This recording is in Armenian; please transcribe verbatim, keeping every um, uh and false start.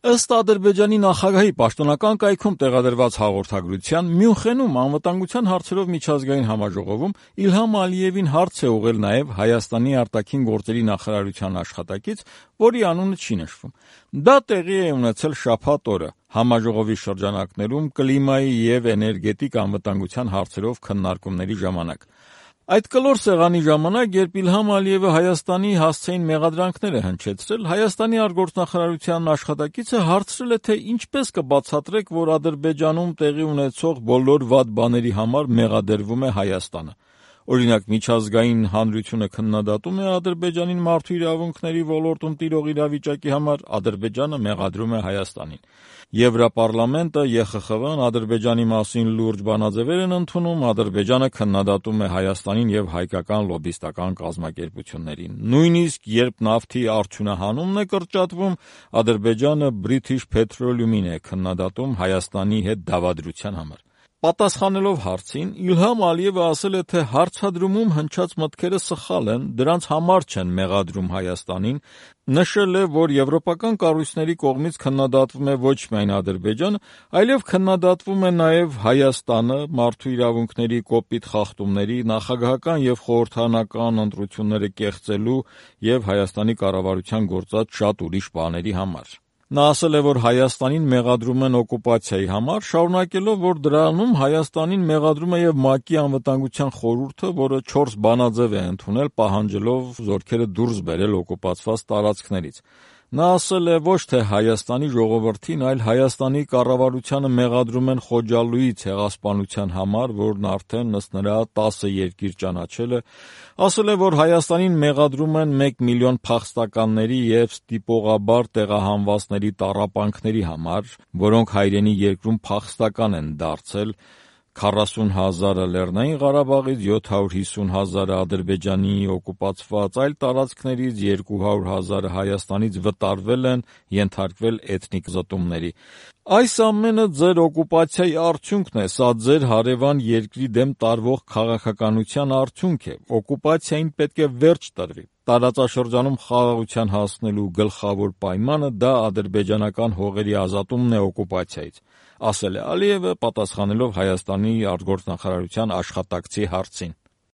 Ըստ Ադրբեջանի նախագահի պաշտոնական կայքում տեղադրված հաղորդագրության, Մյունխենում անվտանգության հարցերով միջազգային համաժողովում Իլհամ Ալիևին հարց է ուղղել նաև Հայաստանի արտաքին գործերի նախարարության աշխատակից, որի անունը չի նշվում։ Դա տեղի է ունեցել շաբաթ օրը համաժողովի շրջանակներում կլիմայի և էներգետիկ անվտանգության հարցերով քննարկումների ժամանակ։ Այդ կլոր սեղանի ժամանակ, երբ Իլհամ Ալիևը Հայաստանի հասցեին մեղադրանքներ է հնչեցրել, Հայաստանի արտգործնախարարության աշխատակիցը հարցրել է, թե ինչպես կբացատրեք, որ Ադրբեջանում տեղի ունեցող բոլոր վատ բաների համար մեղադրվում է Հայաստանը։ Օրինակ, միջազգային հանրությունը քննադատում է Ադրբեջանին մարդու իրավունքների ոլորտում տիրող իրավիճակի համար, Ադրբեջանը մեղադրում է Հայաստանին։ Եվրոպարլամենտը, Է Խ Խ Վ-ն Ադրբեջանի մասին լուրջ բանաձևեր են ընդունում, Ադրբեջանը քննադատում է Հայաստանին և հայկական լոբբիստական կազմակերպություններին։ Նույնիսկ երբ նավթի արդյունահանումն է կրճատվում, Ադրբեջանը British Petroleum-ին է քննադատում Հայաստանի հետ դավադրության համար։ Պատասխանելով հարցին, Իլհամ Ալիևը ասել է, թե հարցադրումում հնչած մտքերը սխալ են, դրանց համար չեն մեղադրում Հայաստանին, նշել է, որ եվրոպական կառույցների կողմից քննադատվում է ոչ միայն Ադրբեջանը, այլև քննադատվում է նաև Հայաստանը մարդու իրավունքների կոպիտ խախտումների, նախագահական և խորհրդարանական ընտրությունները կեղծելու և Հայաստանի կառավարության գործած շատ ուրիշ բաների համար։ Նա ասել է, որ Հայաստանին մեղադրում են օկուպացիայի համար, շարունակելով, որ դրանում Հայաստանին մեղադրում է և ՄԱԿ-ի անվտանգության խորհուրդը, որը չորս բանաձև է ընդունել, պահանջելով զորքերը դուրս բերել օկուպացված տարածքներից։ Նա ասել է, ոչ թե Հայաստանի ժողովրդին, այլ Հայաստանի կառավարությանը մեղադրում են Խոջալույի ցեղասպանության համար, որն արդեն ըստ նրա տասը երկիր ճանաչել է, ասել է, որ Հայաստանին մեղադրում են մեկ միլիոն փախստականների և ստիպողաբար տեղահանվածների տառապանքների համար, որոնք հայրենի երկրում փախստական են դարձել, քառասուն հազարը Լեռնային Ղարաբաղից, յոթ հարյուր հիսուն հազարը Ադրբեջանի օկուպացված այլ տարածքներից, երկու հարյուր հազարը Հայաստանից վտարվել են, ենթարկվել էթնիկ զտումների։ Այս ամենը ձեր օկուպացիայի արդյունքն է, սա ձեր հարևան երկրի դեմ տարվող քաղաքականության արդյունք է։ Օկուպացիային պետք է վերջ տրվի։ Տարածաշրջանում խաղաղության հասնելու գլխավոր պայմանը դա ադրբեջանական հողերի ազատումն է օկուպացիայից, ասել է Ալիևը, պատասխանելով Հայաստանի արտգործնախարարության աշխատակցի հարցին։